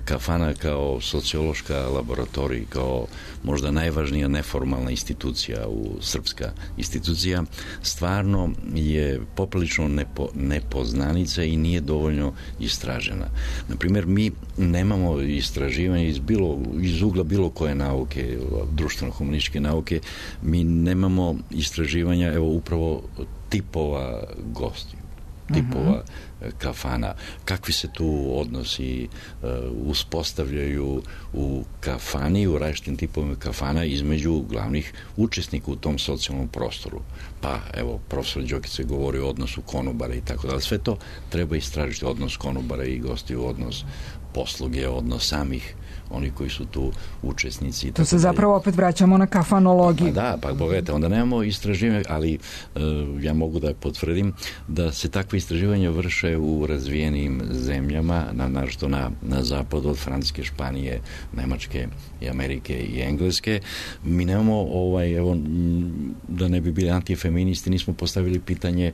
kafana kao sociološka laboratorija, kao možda najvažnija neformalna institucija, srpska institucija, stvarno je poprilično nepoznanica i nije dovoljno istražena. Naprimjer, mi nemamo istraživanje iz ugla bilo koje nauke, društveno-humanističke nauke, mi nemamo istraživanja, evo, upravo tipova gostiju, tipova kafana, kakvi se tu odnosi uspostavljaju u kafani, u različitim tipovima kafana između glavnih učesnika u tom socijalnom prostoru. Pa, evo, profesor Đokić je govorio o odnosu konobara i tako dalje. Sve to treba istražiti, odnos konobara i gostiju, odnos posluge, odnos samih oni koji su tu učesnici. To se zapravo opet vraćamo na kafanologiju. Pa da, pa pogledajte, onda nemamo istraživanja, ali ja mogu da potvrdim da se takve istraživanja vrše u razvijenim zemljama, naročito na zapadu od Francuske, Španije, Nemačke i Amerike i Engleske. Mi nemamo, evo, da ne bi bili antifeministi, nismo postavili pitanje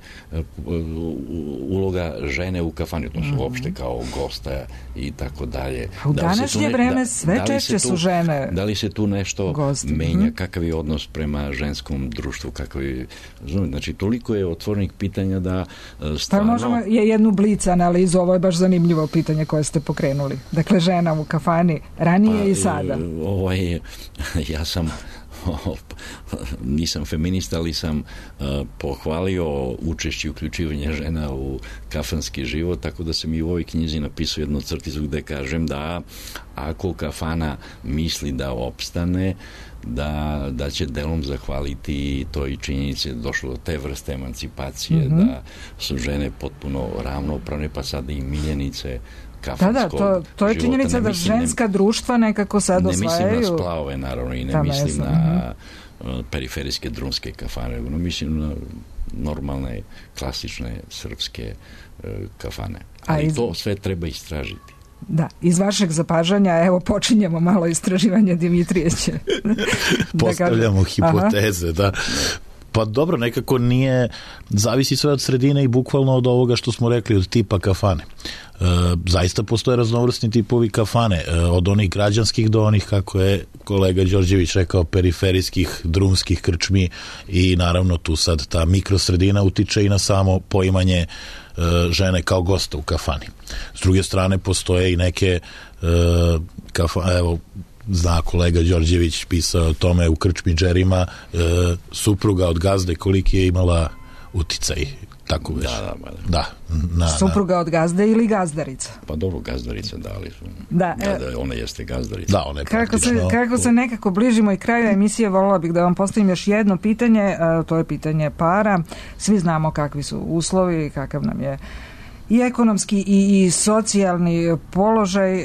uloga žene u kafani, odnosno uopšte kao gosta i tako dalje. U današnje vreme sve češće su žene. Da li se tu nešto menja? Kakav je odnos prema ženskom društvu? Znači, toliko je otvorenih pitanja da stvarno... Pa možemo jednu blic analizu, ovo je baš zanimljivo pitanje koje ste pokrenuli. Dakle, žena u kafani ranije i sada. Ja sam nisam feminista, ali sam pohvalio učešće i uključivanje žena u kafanski život, tako da sam i u ovoj knjizi napisao jednu crticu gde kažem da ako kafana misli da opstane, da će delom zahvaliti to i činjenice da došlo do te vrste emancipacije, da su žene potpuno ravnopravne, pa sada i miljenice kafanskog života. To je činjenica da ženska društva nekako sad osvajaju. Ne mislim na splavove, naravno, i ne mislim na periferijske drumske kafane, no mislim na normalne, klasične srpske kafane. Ali to sve treba istražiti. Da, iz vašeg zapažanja, evo, počinjemo malo istraživanje, Dimitrije će. Postavljamo hipoteze, da. Pa dobro, nekako nije, zavisi sve od sredine i bukvalno od ovoga što smo rekli, od tipa kafane. Zaista postoje raznovrsni tipovi kafane, od onih građanskih do onih, kako je kolega Đorđević rekao, periferijskih, drumskih krčmi, i naravno tu sad ta mikrosredina utiče i na samo poimanje žene kao gosta u kafani. S druge strane, postoje i neke evo, zna kolega Đorđević, pisao o tome u krčmi Džerima, supruga od gazde koliki je imala uticaj. Tako već. Da. Supruga od gazde ili gazdarica? Pa dobro, gazdarica, da, ali ona jeste gazdarica. Da, ona je kako se nekako bližimo i kraju emisije, volila bih da vam postavim još jedno pitanje, to je pitanje para. Svi znamo kakvi su uslovi, kakav nam je i ekonomski i socijalni položaj.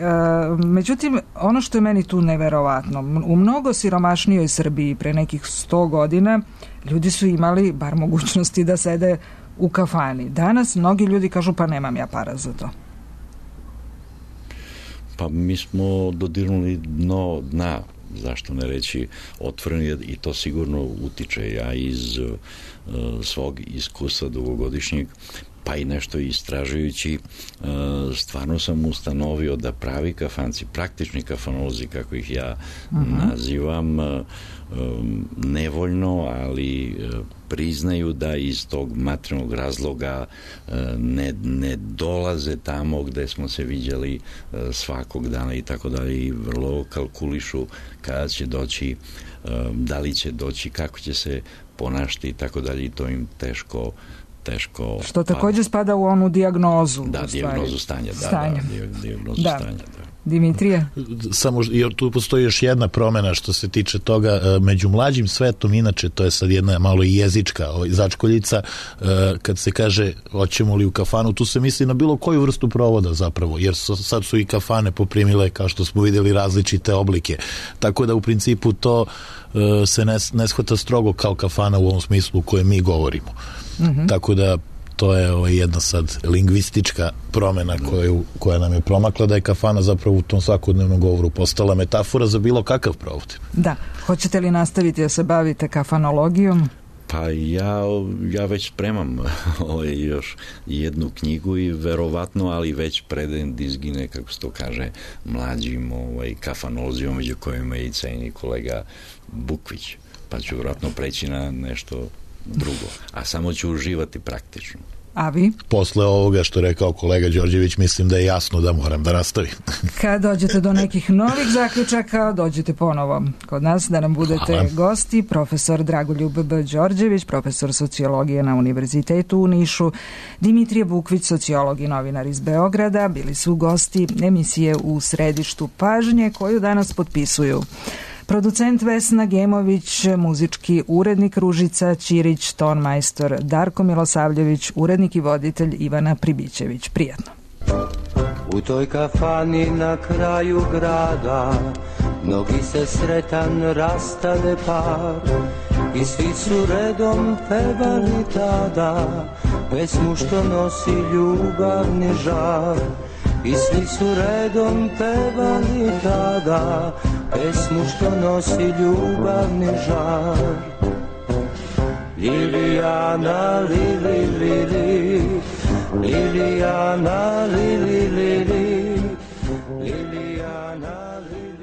Međutim, ono što je meni tu neverovatno, u mnogo siromašnijoj Srbiji pre nekih 100 godina ljudi su imali bar mogućnosti da sede u kafani. Danas mnogi ljudi kažu pa nemam ja para za to. Pa mi smo dodirnuli dno dna, zašto ne reći otvoreno, i to sigurno utiče. Ja iz svog iskustva dugogodišnjeg, pa i nešto istražujući, stvarno sam ustanovio da pravi kafanci, praktični kafanolozi, kako ih ja nazivam, nevoljno, ali priznaju da iz tog materijalnog razloga ne dolaze tamo gde smo se viđali svakog dana i tako dalje, i vrlo kalkulišu kada će doći, da li će doći, kako će se ponašati i tako dalje, i to im teško. Što također spada u onu dijagnozu. Da, dijagnozu stanja. Dijagnozu stanja. Dimitrije? Samo, jer tu postoji još jedna promena što se tiče toga među mlađim svetom, inače to je sad jedna malo i jezička začkoljica, kad se kaže hoćemo li u kafanu, tu se misli na bilo koju vrstu provoda zapravo, jer sad su i kafane poprimile, kao što smo vidjeli, različite oblike, tako da u principu to se ne shvata strogo kao kafana u ovom smislu u kojem mi govorimo. Tako da to je jedna sad lingvistička promena koja nam je promakla, da je kafana zapravo u tom svakodnevnom govoru postala metafora za bilo kakav provod. Da, hoćete li nastaviti da se bavite kafanologijom? Pa ja već spremam još jednu knjigu i verovatno, ali već predajem dizgine, kako se to kaže, mlađim kafanolozijom, među kojima je i ceni kolega Bukvić, pa ću vjerojatno preći na nešto drugo, a samo ću uživati praktično. A vi? Posle ovoga što je rekao kolega Đorđević, mislim da je jasno da moram da nastavim. Kad dođete do nekih novih zaključaka, dođete ponovo kod nas da nam budete gosti. Profesor Dragoljub B. Đorđević, profesor sociologije na Univerzitetu u Nišu, Dimitrije Bukvić, sociolog i novinar iz Beograda, bili su gosti emisije U središtu pažnje, koju danas potpisuju producent Vesna Gemović, muzički urednik Ružica Ćirić, ton majstor Darko Milosavljević, urednik i voditelj Ivana Pribićević. Prijatno. U toj kafani na kraju grada mnogi se sretan rastade par i svi su redom pevali tada pesmu što nosi ljubavni žar. I svi su redom pevali tada pesmu što nosi ljubavni žar. Lilijana, lili, lili, Lilijana, lili, lili, Lilijana, lili.